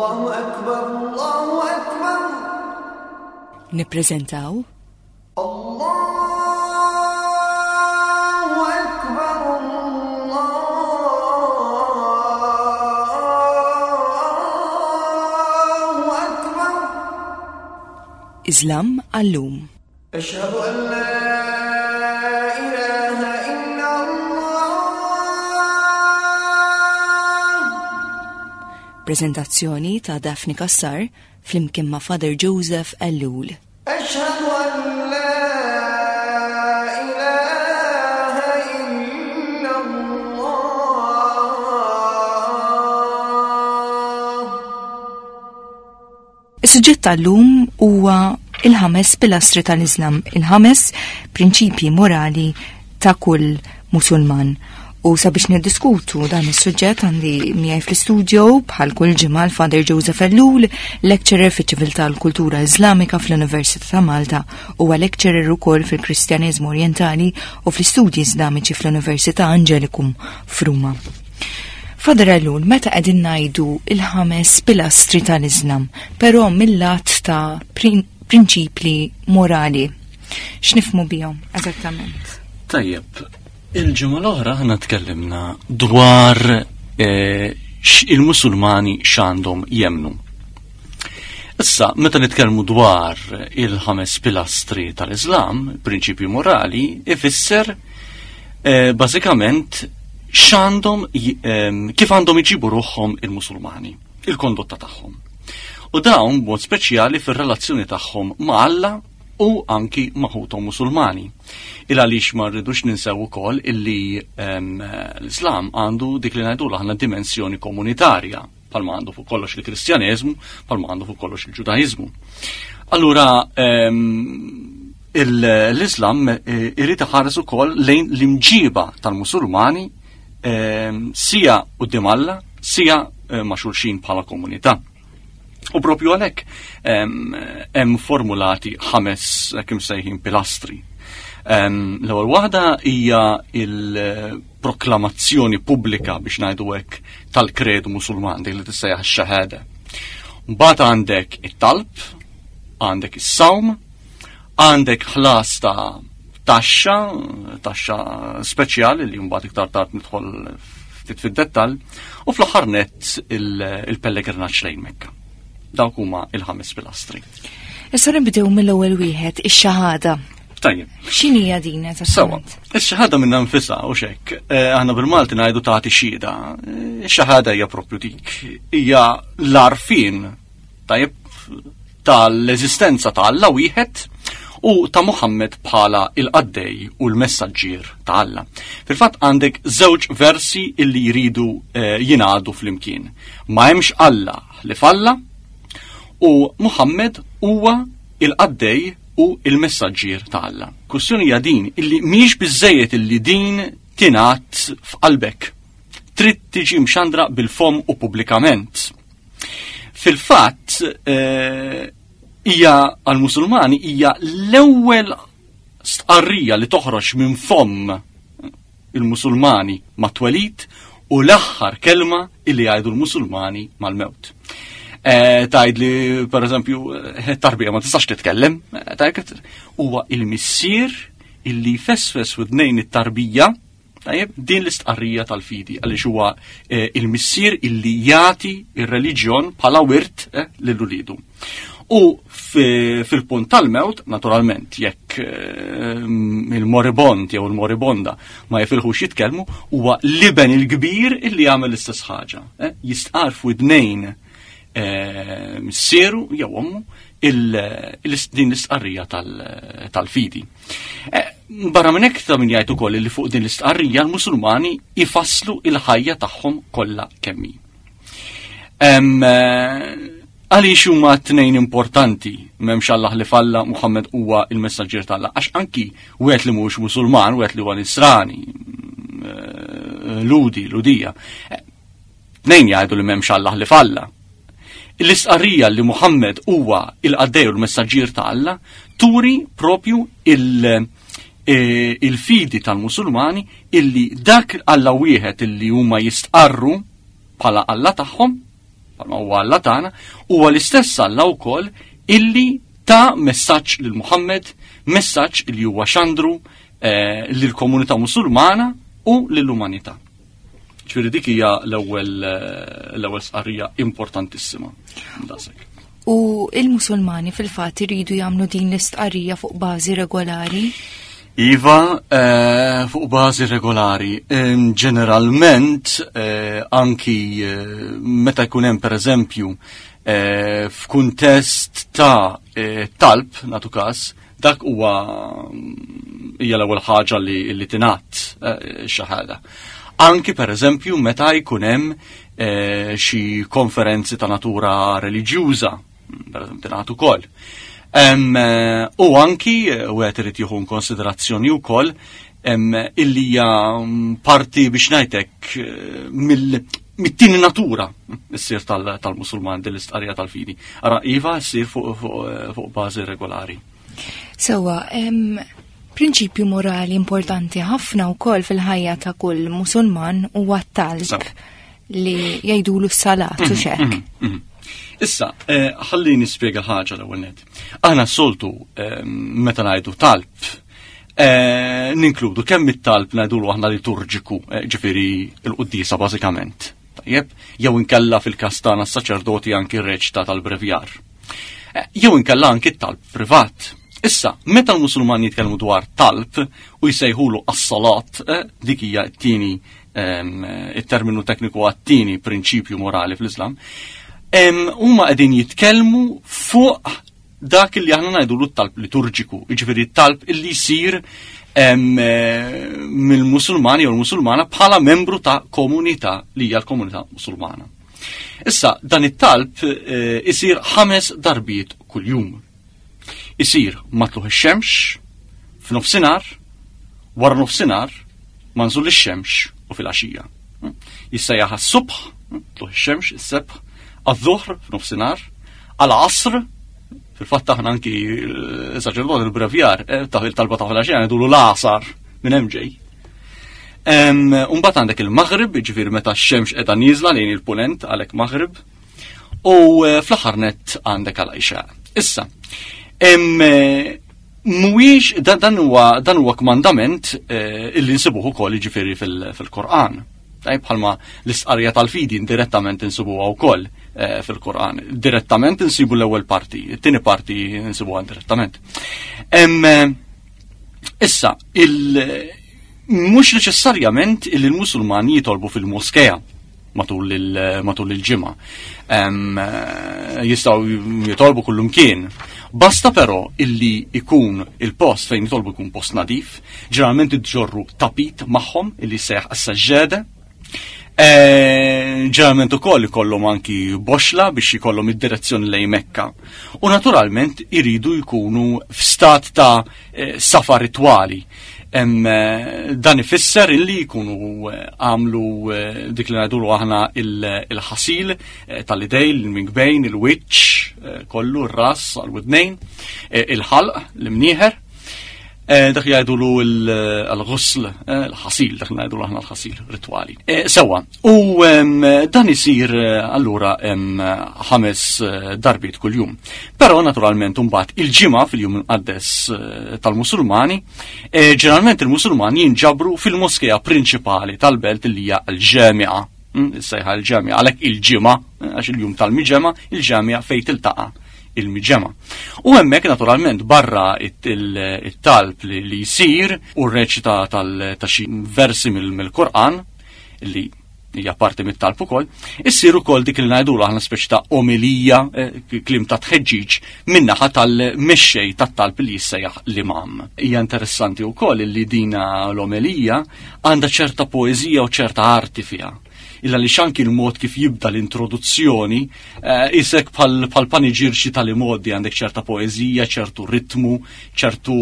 Allahu akbar, Allahu akbar. Nippreżentaw Allahu akbar, Allahu akbar. Islam għallum. Ashhadu an la ilaha illa Allah. Prezentazzjoni ta' Daphne Kassar flimkien ma' Father Joseph Ellul. Ashhadu an la ilaha illa Allah. Is-suġġett tal-lum huwa il-ħames pilastri tal-Islam, il-ħames prinċipji morali ta' kull Musulman. U sabiex niddiskutu dan is-suġġett għandi miegħi fl-istudio bħal kull ġimgħa l-Father Joseph Ellul, lecturer fiċ-Ċiviltà u l-Kultura Iżlamika fl-Università ta' Malta, huwa lecturer ukoll fil-Kristjaneżmu Orjentali u fl-Istudji Iżlamiċi fl-Università Angelicum f'Ruma. Father Ellul, meta qegħdin ngħidu il-ħames pilastri tal-Islam, però mill-lat ta' prinċipli morali, x'nifhmu bihom eżattament? Tajjeb, il-ġimgħa l-oħra aħna tkellimna dwar eh, il-Musulmani x'għandhom jemnu. Issa, meta nitkellmu dwar il-ħames pilastri tal-Islam, prinċipji morali, ifisser eh, bażikament x'għandhom ehm, kif għandhom iġibu ruħhom il-Musulmani, il-kondotta tagħhom. U dawn b'mod speċjali fir-relazzjoni tagħhom ma' Alla u anki ma' ħuthom Musulmani. Il għaliex ma rridux ninsew ukoll illi ehm, l-Islam għandu dik li ngħidu aħna dimensjoni komunitarja bħalma għandu fuq kollox il-Kristjaneżmu, bħalma għandu fuq kollox il-Ġudaizmu. Allura ehm, l-Islam eh, irid iħares ukoll lejn l-imġiba tal-Musulmani ehm, sija quddiem Alla, sija eh, ma' xulxin bħala komunità. U propju għalhekk ehm, hemm formulati ħames kim sejħin pilastri. L-ewwel waħda hija il- proklamazzjoni pubblika biex ngħidu hekk tal-kredu Musulman dik li tissejjaħ ix-xahada. Mbagħad għandek it-talb, għandek is-sawm, għandek ħlas ta' taxxa, taxxa speċjali li mbagħad iktar tard nidħol ftit fid-dettall, u fl-aħħar nett il-pellegrinaġġ lejn Mekka. Dawk huma il-ħames pilastri. Issa nibdew mill-ewwel wieħed, ix-xahada. Tajjeb. X'inhija din eżattament? Sawa, ix-xahada minna nfisha u xek. Eh, aħna bil-Malti ngħidu tagħti xhieda. Eh, ix-xahada hija propju dik. Hija l-arfin tajjeb tal-eżistenza ta' Alla wieħed u ta' Muhammad bħala il-qaddej u l-messaġġier ta' Alla. Fil-fatt għandek żewġ versi illi jridu eh, jingħadu flimkien. Ma hemmx Alla li falla u Muhammad huwa il-qaddej u il-messaġġier ta' Alla. Kwistjoni hija din illi mhijiex biżejjed illi din tingħad f'qalbek. Trid tiġi mxandra bil-fom u pubblikament. Fil-fatt eh, hija għal-Musulmani hija l-ewwel stqarrija li toħroġ minn fomm il-Musulmani mat-twelid u l-aħħar kelma illi jgħidu l-Musulmani mal-mewt. Eh, Tajd li, per eżempju, eh, tarbija ma tistax titkellem, eh, tajt huwa il-missier illi jfesfes widnejn it-tarbija Tajjeb, din l-istqarrija tal-fidi għaliex huwa il-missier illi jagħti ir-reliġjon bħala wirt lil ulidu. U fil-punt tal-mewt, naturalment, jekk eh, il-moribond jew il-moribonda ma jifilħux jitkellmu, huwa l-iben il-kbir illi jagħmel l-istess ħaġa. Eh, jistqar f'widnejn eh, missieru jew ommu din l-istqarrija tal-fidi. Barra minn hekk ta' min jgħid ukoll li fuq din l-istqarrija l-Musulmani ifasslu il-ħajja tagħhom kollha kemm hi. Għaliex huma t-tnejn importanti m'hemmx Allah li falla Muhammad huwa il-messaġġier t'Alla għax anki wieħed li mhuwiex Musulman, wieħed li huwa Nisrani, eh, Ludi, Ludija. Eh, tnejn jgħidu li m'hemmx Allah li falla. L-istqarrija li Muhammad huwa il-qaddej u l-messaġġier ta' Alla turi propju il- eh, il-fidi tal-Musulmani illi dak Alla wieħed illi huma jistqarru bħala Alla tagħhom. bħalma huwa Alla tagħna, huwa l-istess Alla wkoll illi ta messaġġ lil Muhammad, messaġġ li huwa xandru eh, lill-komunità Musulmana u lill-umanità. Ġifieri dik hija l-ewwel eh, l-ewwel sqarrija importantissima. Daqshekk. U il-Musulmani fil-fatt iridu jagħmlu din l-istqarrija fuq bażi regolari? Iva, eh, fuq bażi regolari. Ġeneralment, eh, anki eh, meta jkun hemm pereżempju eh, f'kuntest ta' eh, talb, natu każ, dak huwa mm, hija l-ewwel ħaġa li, li tingħad eh, xi ħaġa. Anki pereżempju meta jkun hemm eh, xi konferenzi ta' natura reliġjuża, pereżempju tingħad ukoll. Eh, u anki wieħed irid jieħu konsiderazzjoni wkoll illi hija mm, parti biex ngħidlek mill mit-tieni natura ssir tal-Musulman din l-istqarrija tal-fidi. Ara iva ssir fuq bażi regolari. Sewa, prinċipju morali importanti ħafna wkoll fil-ħajja ta' kull Musulman huwa t-talb li jgħidulu s-salat u mhm, xek. Mhm, mhm. Issa, eh, ħalli nispjega ħaġa l-ewwel net. Aħna s-soltu eh, meta ngħidu talb Eh, ninkludu kemm it-talb ngħidulu aħna liturġiku, eh, ġifieri l-quddiesa bażikament. Tajjeb, jew inkella fil-każ tagħna s-saċerdoti anki r-reċta tal-brevjar. Eh, jew inkella anki t-talb privat. Issa, meta l-Musulmani jitkellmu dwar talb u jsejħulu as-salat, dik hija t-tieni ehm, it-terminu tekniku għat-tieni prinċipju morali fl-Islam, ehm, huma qegħdin jitkellmu fuq dak li aħna ngħidulu t-talb liturġiku, jiġifieri t-talb illi jsir eh, mill-Musulmani jew l-Musulmana bħala membru ta' komunità li hija l-komunità Musulmana. Issa, dan it-talb eh, isir ħames darbiet kuljum. Isir matluħ ix-xemx, f'nofsinhar, wara nofsinhar, manżul ix-xemx u fil-għaxija. Jissejjaħ għas-subħ, tluħ ix-xemx, is-sebħ, għadh-dhuhr f'nofsinhar, għal-asr, fil-fatt aħna anki eh, saċerdot il-brevjar, eh, ta' il-talba ta' fil-għaxija ngħidulu l-asar minn hemm ġej. Umbagħad għandek il-Maghrib, ġifieri meta x-xemx qiegħda nieżla lejn il-punent għalhekk Maghrib, u eh, fl-aħħar nett għandek għal-Għixa. Issa, Mhuwiex dan huwa dan huwa kmandament eh, illi nsibuh ukoll jiġifieri fil-Qur'an. Tajb bħalma l-istqarrija tal-fidi indirettament insibuha wkoll eh, fil-Qur'an. Direttament insibu l-ewwel parti, it-tieni parti insibuha indirettament. Eh, issa, il mhux neċessarjament illi l-Musulmani jitolbu fil-moskea matul il-ġimgħa. Eh, jistgħu jitolbu kullumkien. Basta però illi ikun il-post fejn jitolbu jkun post nadif, ġeneralment iġorru tapit magħhom illi seħ as-saġġeda. Eh, ġeneralment ukoll ikollhom anki boxla biex ikollhom id-direzzjoni lejn Mekka. U naturalment iridu jkunu f'stat ta' eh, safa ritwali. Eh, dan ifisser illi jkunu eh, għamlu dik li ngħidulu aħna il-ħasil tal-idej, il-minkbejn, il-wiċċ, kollu r-ras għal-widnejn, il-ħalq, l-imnieħer. Dak li jgħidulu l-ghusl, l-ħasil, dak li ngħidulu aħna l-ħasil ritwali. Sewa, u dan isir allura ħames darbiet kuljum. Però naturalment imbagħad il-ġimgħa fil-jum imqaddes eh, tal-Musulmani, eh, ġeneralment il-Musulmani jinġabru fil-moskea prinċipali tal-belt li hija l-ġemia. Hmm, sejħa l-ġemia, għalhekk il-ġimgħa, eh, għax il-jum tal-miġema, il-ġemia fejn tiltaqa' il-miġema. U hemmhekk naturalment barra it-talb li jsir u r-reċita ta' xi versi mill-Qur'an li hija parti mit-talb ukoll, issir ukoll dik li ngħidulu aħna speċi ta' omelija, eh, kliem ta' tħeġġiġ min-naħa tal-mexxej tat-talb li jissejjaħ l-imam. Hija interessanti wkoll li dina l-omelija għandha ċerta poeżija u ċerta arti fiha. Illa li xanki l-mod kif jibda l-introduzzjoni, eh, isek bħal paniġirxi tal-imoddi għandek ċerta poeżija, ċertu ritmu, ċertu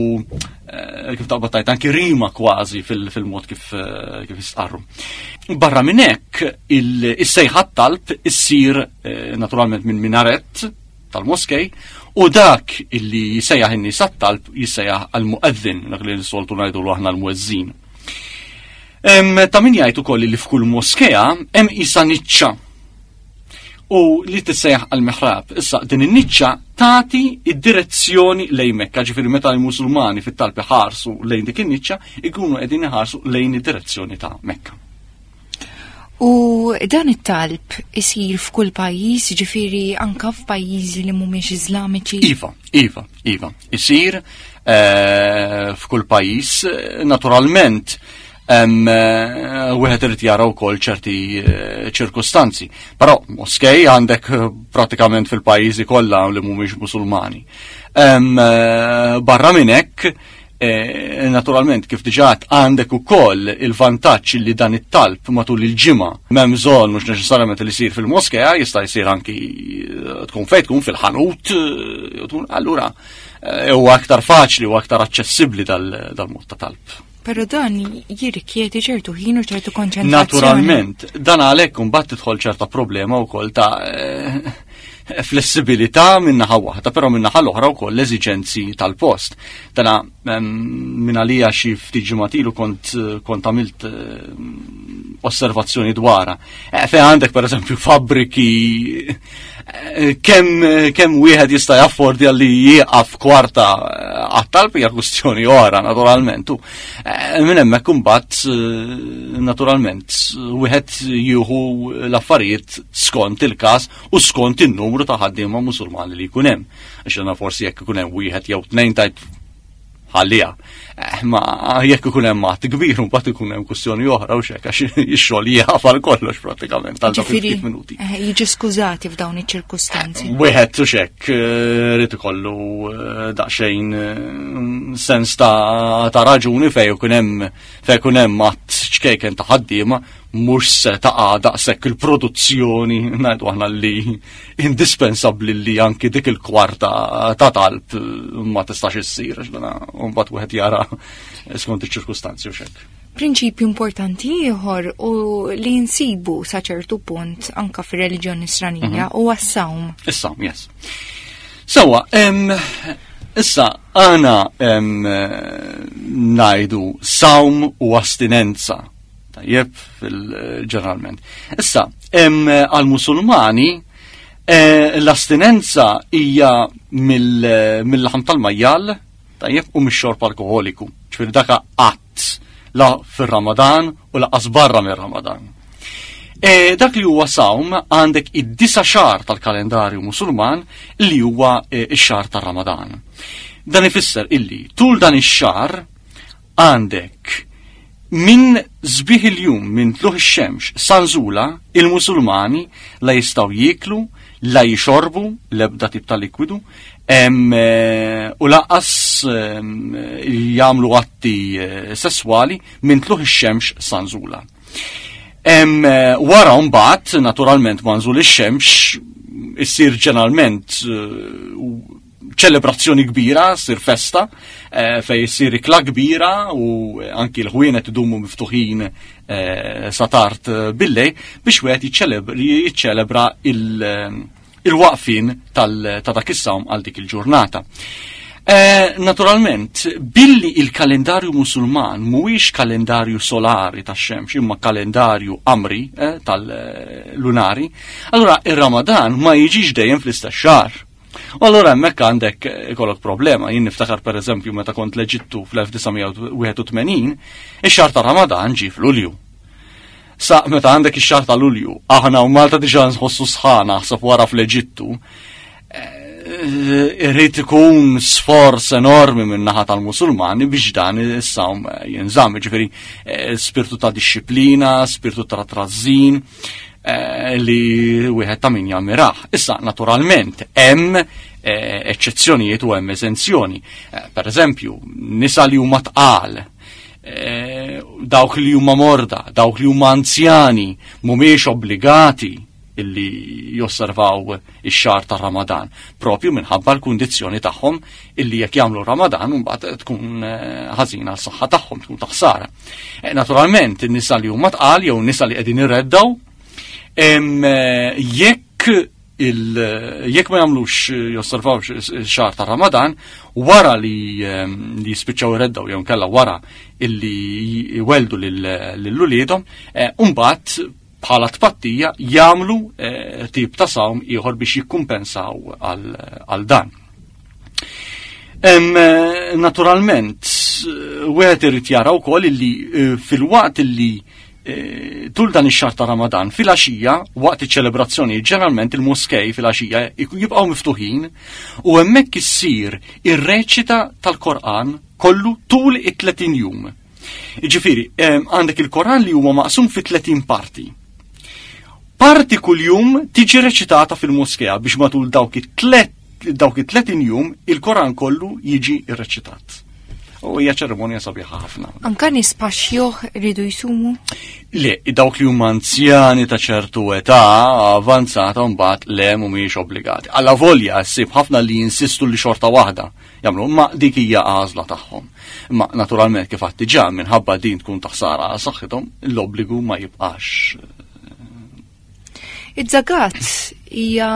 eh, kif taqbad tajt anki rima kważi fil-mod kif eh, kif jistqarru. Barra minn hekk is-sejħa talb issir eh, naturalment minn minaret tal-moskej u dak illi jisejjaħ in-nies talb jissejjaħ għal-muqeddin, dak li soltu ngħidu aħna l-muezzin. Ta' min jgħid ukoll li f'kull moskea hemm isa niċċa. U li tissejjaħ al-mihrab. Issa din in-niċċa tagħti id-direzzjoni lejn Mekka, ġifieri meta l-Musulmani fit-talb iħarsu lejn dik in-niċċa, ikunu qegħdin iħarsu lejn id-direzzjoni ta' Mekka. U dan it-talb isir f'kull pajjiż, ġifieri anka f'pajjiżi li mhumiex Iżlamiċi? Iva, iva, iva. Isir eh, f'kull pajjiż, naturalment Eh, wieħed irid jara wkoll ċerti eh, ċirkustanzi. Però moskej għandek eh, pratikament fil-pajjiżi kollha li mhumiex Musulmani. Barra minn hekk, naturalment kif diġà għandek ukoll il-vantaġġ li dan it-talb matul il-ġimgħa m'hemm bżonn mhux neċessarjament li jsir fil-moskea, jista' jsir anki tkun fejn tkun fil-ħanut, allura huwa aktar faċli u aktar aċċessibbli dal-mod ta' talb. Pero dan jirrikjedi ċertu ħin u ċertu konċentrazzjoni. Naturalment, dan għalhekk imbagħad tidħol ċerta problema wkoll ta' eh, flessibilità minnaħa waħda, però minnaħa l-oħra wkoll l-eżiġenzi tal-post. Dana minn għalija xi ftit ġimgħat kont kont għamilt eh, osservazzjoni dwarha. Eh, Fejn għandek pereżempju fabbriki kemm kemm wieħed jista' jaffordja li jieqaf kwarta eh, għat-talb hija kwistjoni oħra naturalment. U eh, minn hemmhekk imbagħad eh, naturalment wieħed jieħu l-affarijiet skont il-każ u skont in-numru ta' ħaddiema Musulmani li jkun hemm. Għax forsi jekk ikun hemm wieħed jew tnejn tajt ħalliha. Eh, ma jekk ikun hemm għadd kbir mbagħad ikun hemm kwistjoni oħra u xek għax ix-xogħol jieqaf għal kollox prattikament għal dawk ftit minuti. Eh, jiġi skużati f'dawn iċ-ċirkustanzi. Wieħed u xek eh, rid ikollu daqsxejn sens ta' raġuni fejn ikun hemm fejn ikun hemm għadd ċkejken ta' ħaddiema mhux se taqa' daqshekk il-produzzjoni ngħidu aħna li indispensabbli li anki dik il-kwarta ta' talb ma tistax issir għax dana mbagħad wieħed jara skont iċ-ċirkustanzi u xekk. Prinċipju importanti ieħor u li nsibu sa ċertu punt anka fir-reliġjon nisranija mhm. huwa s-sawm. Is-sawm, yes. Sawa, issa għana najdu sawm u astinenza Tajjeb, ġeneralment. Issa, għal-Musulmani, eh, l-astinenza hija mill-laħam tal-majjal, tajjeb, u mix-xorb alkoholiku. Ġifieri daka qatt la fir-Ramadan u laqas barra mir-Ramadan. E, dak li huwa sawm għandek id-disa xar tal-kalendarju musulman li huwa e, ix-xar tar-Ramadan. Dan ifisser illi tul dan ix-xar Għandek, minn sbieħ il-jum, minn tlugħ ix-xemx sa nżulha, il-Musulmani la jistgħu jieklu, la jixorbu l-ebda tip ta' likwidu, u lanqas jagħmlu atti eh, sesswali minn tlugħ ix-xemx sa nżulha. Wara mbagħad, naturalment ma' nżul ix-xemx, issir ġeneralment eh, ċelebrazzjoni kbira, sir festa, eh, fej sir ikla kbira u anki l-ħwienet idumu miftuħin eh, sa tard eh, billej biex wieħed jiċċelebra il-waqfin ta' dak is-sawm għal dik il-ġurnata. Naturalment, billi il-kalendarju musulman mhuwiex kalendarju solari tax-xemx imma kalendarju qamri tal-lunari, allura ir-Ramadan ma jiġix dejjem fl-istess xahar. U allura hemmhekk għandek eh, ikollok problema. Jien niftakar pereżempju meta kont l-Eġittu fl-1981, ix-xahar ta' Ramadan ġie f'Lulju. Sa meta għandek ix-xahar ta' Lulju, aħna u Malta diġà nħossu sħana ħseb wara fl-Eġittu, eh, irrid ikun sforz enormi minn naħa tal-Musulmani biex dan is-sawm jinżamm, ġifieri eh, spirtu ta' disċiplina, spirtu ta' trażżin, Eh, li wieħed ta' min jammirah. Issa, naturalment, hemm eh, eċċezzjonijiet u hemm eżenzjoni. Eh, per eżempju, nisa li huma tqal, dawk li huma morda, dawk li huma anzjani, mhumiex obbligati illi josservaw ix-xahar ta' Ramadan, propju minħabba l-kundizzjoni tagħhom illi jekk jagħmlu Ramadan mbagħad tkun ħażina għal saħħa tagħhom, tkun ta' ħsara. Eh, naturalment, in-nisa li huma tqal jew nisa li qegħdin irreddaw, eh, jekk jekk ma jagħmlux eh, josservawx xahar ta' Ramadan, wara li li jispiċċaw irreddaw jew nkella wara illi jweldu lil uliedhom, mbagħad bħala tpattija jagħmlu eh, tip ta' sawm ieħor biex jikkumpensaw għal dan. Eh, naturalment, eh, wieħed irid jara wkoll illi fil-waqt illi tul dan ix-xahar ta' Ramadan fil-għaxija waqt iċ-ċelebrazzjoni ġeneralment il-moskej fil-għaxija jibqgħu miftuħin u hemmhekk issir ir-reċita tal-Korqan kollu tul it-30 jum. Jiġifieri, għandek il-Koran li huwa maqsum fi 30 parti. Parti kuljum tiġi reċitata fil-moskea biex matul dawk it-tlet dawk it-30 jum il-Koran kollu jiġi rreċitat. U hija ċerimonja sabiħa ħafna. Anka nies paxjuh ridu jsumu? Le, dawk li huma anzjani ta' ċertu età avanzata mbagħad le mhumiex obbligati. Alla volja ssib ħafna li jinsistu li xorta waħda jagħmlu, imma dik hija għażla tagħhom. Imma naturalment kif għadt diġà minħabba din tkun ta' ħsara għal saħħithom, l-obbligu ma jibqax. Iż-żakat hija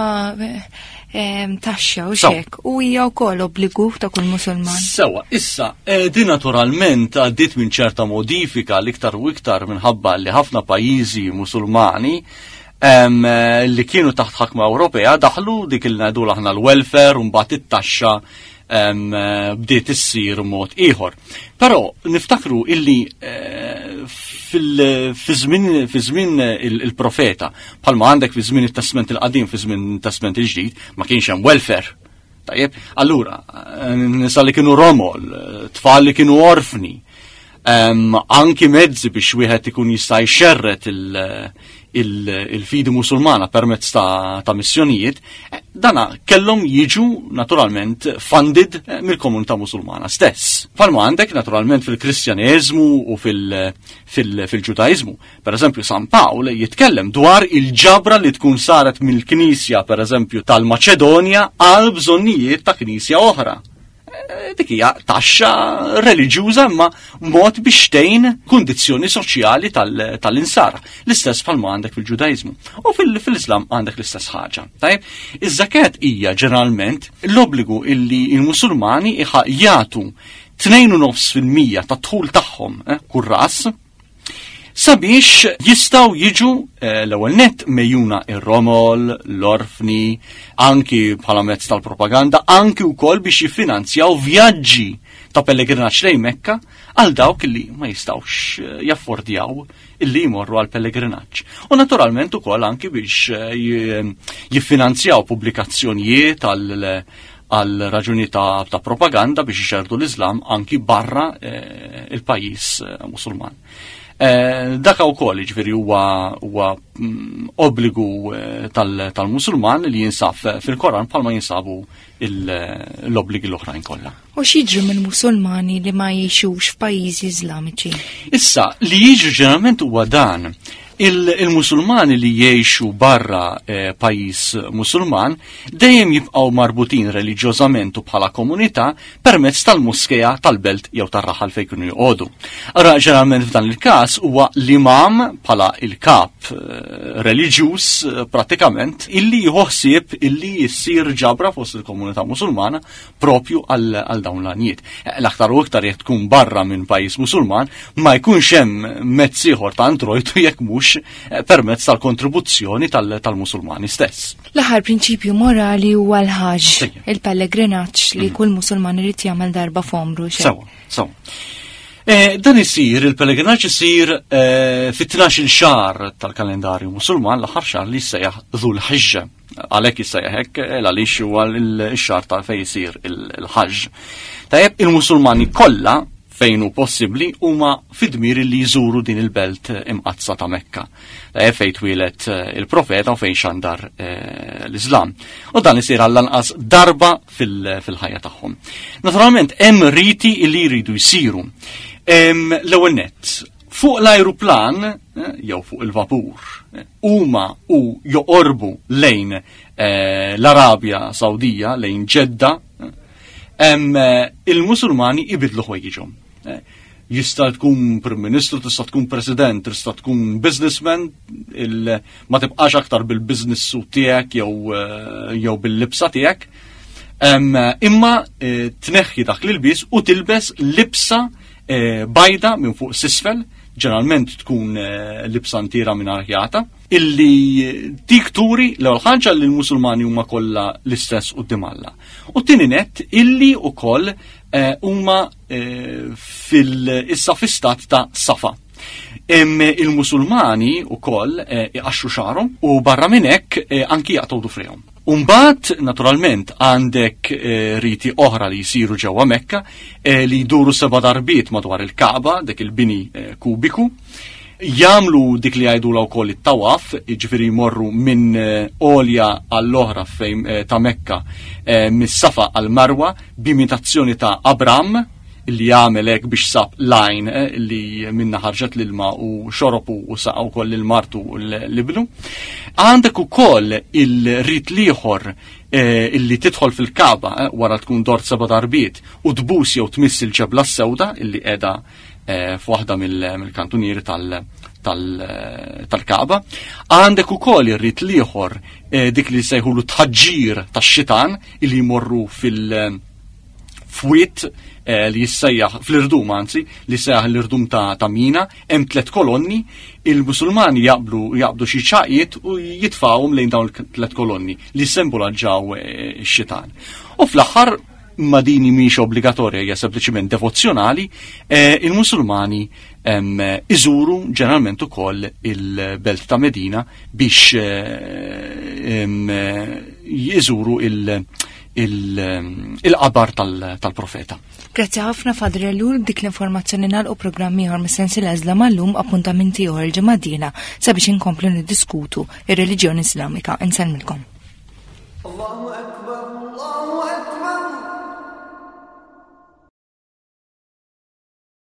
taxxa u xek u hija wkoll obbligu ta' kull musulman. Sewa, issa, eh, din naturalment għaddiet minn ċerta modifika l-iktar u iktar minħabba li ħafna pajjiżi musulmani Eh, li kienu taħt ħakma Ewropea daħlu dik il ngħidu aħna l-welfare u mbagħad it-taxxa eh, bdiet issir mod ieħor. Però niftakru illi eh, fi żmien il-profeta, bħalma għandek fi żmien it-Testament il-qadim, fi żmien it-Testament il-ġdid, ma kienx hemm welfare. Tajjeb, allura, nisa li kienu romol, tfal li kienu orfni, anki mezzi biex wieħed ikun jista' jxerret il-fidi musulmana permezz ta' missjonijiet, eh, dana kellhom jiġu naturalment funded eh, mill-komunità musulmana stess. Palma għandek naturalment fil-Kristjaneżmu u fil-Ġudaizmu. Per eżempju, San Pawl jitkellem dwar il-ġabra li tkun saret mill-Knisja, per eżempju, tal-Maċedonja għal bżonnijiet ta' Knisja oħra. Eh, dik hija taxxa reliġjuża imma mod biex tgħin kundizzjoni soċjali tal-insara. L-istess bħalma għandek fil-Ġudaiżmu. U fil-Islam għandek l-istess ħaġa. Tajjeb, iż-żakat hija ġeneralment l-obbligu illi l-Musulmani jagħtu 2.5% tat-dħul tagħhom eh, kull ras sabiex jistaw jiġu eh, l-ewwel nett mejjuna ir-romol, l-orfni, anki bħala mezz tal-propaganda, anki wkoll biex jiffinanzjaw vjaġġi ta' pellegrinaġġ lejn Mekka għal dawk li ma jistawx eh, jaffordjaw illi jmorru għal pellegrinaġġ. U naturalment ukoll anki biex eh, jiffinanzjaw pubblikazzjonijiet għal għal raġuni ta', ta propaganda biex ixerdu l-Islam anki barra eh, il-pajjiż eh, Musulman. Eh, dak wkoll jiġifieri huwa huwa mm, obbligu eh, tal-Musulman li jinsab fil-Koran bħalma jinsabu l-obbligi l-oħrajn kollha. U x'jiġri mill-Musulmani li ma jgħixux f'pajjiżi Iżlamiċi? Issa, li jiġri ġeneralment huwa dan. Il-Musulmani li jgħixu barra eh, pajjiż Musulman dejjem jibqgħu marbutin reliġjożament u bħala komunità permezz tal-moskea tal-belt jew tar-raħal fejn kienu joqogħdu. Ara ġeneralment f'dan il-każ huwa l-imam bħala il-kap eh, reliġjuż eh, pratikament illi jieħu ħsieb illi jissir ġabra fost il-komunità Musulmana propju għal dawn l-għanijiet. Eh, l-aktar u iktar jekk tkun barra minn pajjiż Musulman ma jkunx hemm mezz ieħor ta' introjtu jekk mhux permezz tal-kontribuzzjoni tal-Musulmani stess. L-aħħar prinċipju morali huwa l-ħaġ, il-pellegrinaġġ li mm. kull musulman irid jagħmel darba f'għomru. Sewa, sewa. Eh, dan isir, il-pellegrinaġġ isir eh, fit-12 xahar tal-kalendarju musulman, l-aħħar xahar li jissejjaħ Dhul Ħiġġa. Għalhekk jissejjaħ hekk eh, għaliex huwa l-xahar ta' fejn isir il-ħaġġ. Tajjeb il-Musulmani kollha fejn hu possibbli huma fid-dmir li jżuru din il-belt imqaddsa ta' Mekka. Eh, fejn twieled eh, il-profeta u fejn xandar eh, l-Islam. U dan isir għall-anqas darba fil-ħajja tagħhom. Naturalment hemm riti li jridu jsiru. L-ewwel nett, fuq l-ajruplan jew fuq il-vapur huma u joqorbu lejn l-Arabja Sawdija, lejn Ġedda, il-Musulmani ibidlu ħwejjiġhom. Jista' tkun Prim Ministru, tista' tkun President, tista' tkun businessman, ma tibqax aktar bil-business suit tiegħek jew eh, jew bil-libsa tiegħek. Imma eh, tneħħi dak l-ilbies u tilbes libsa eh, bajda minn fuq sisfel, Ġeneralment tkun eh, libsa ntiera minn ħjata, illi dik turi l-ewwel ħaġa li l-Musulmani huma kollha l-istess quddiem Alla. U tieni nett illi wkoll eh, huma eh, fil-issa fi stat ta' safa. Il-Musulmani wkoll iqaxxu xagħarhom u barra minn hekk anki jaqtgħu dufrejhom. Umbat, naturalment, għandek eh, riti oħra li jisiru ġewwa Mekka eh, li jduru seba darbiet madwar il-Kaaba, dik il-bini eh, kubiku. Jamlu dik li jgħidu wkoll it-tawaf, jiġifieri jmorru minn għolja għall-oħra fejn ta' Mekka mis-Safa għal Marwa b'imitazzjoni ta' Abram, li għamel hekk biex sab lajn eh, li minna ħarġet l-ilma u xoropu u saqa wkoll lil martu u l-ibnu. Għandek ukoll il-rit liħor eh, illi tidħol fil-kaba eh, wara tkun dort seba' darbiet u tbus jew tmiss il-ġebla s-sewda illi qiegħda f'waħda mill-kantunieri tal-kaba. Għandek ukoll ir-rit liħor dik li sejħulu tħaġġir tax-xitan illi jmorru fil- f'wied eh, li jissejjaħ fl-irdum anzi li sejjaħ l-irdum ta', ta Mina, hemm tliet kolonni, il-Musulmani jaqblu jaqbdu xi ċaqiet u jitfawhom lejn dawn tliet kolonni li simbolaġġaw eh, x-xitan. U fl-aħħar ma dini mhix obbligatorja hija sempliċiment devozzjonali, eh, il-Musulmani iżuru ġeneralment ukoll il-belt ta' Medina biex jiżuru il- il-qabar tal-profeta. Grazzi ħafna Fadri Ellul dik l-informazzjoni nagħlqu programm ieħor mis-sensiela Iżlam għallum appuntamenti ieħor il-ġimgħa d-dieħla sabiex inkomplu niddiskutu ir-reliġjoni Islamika. Insellmilkom. Allahu.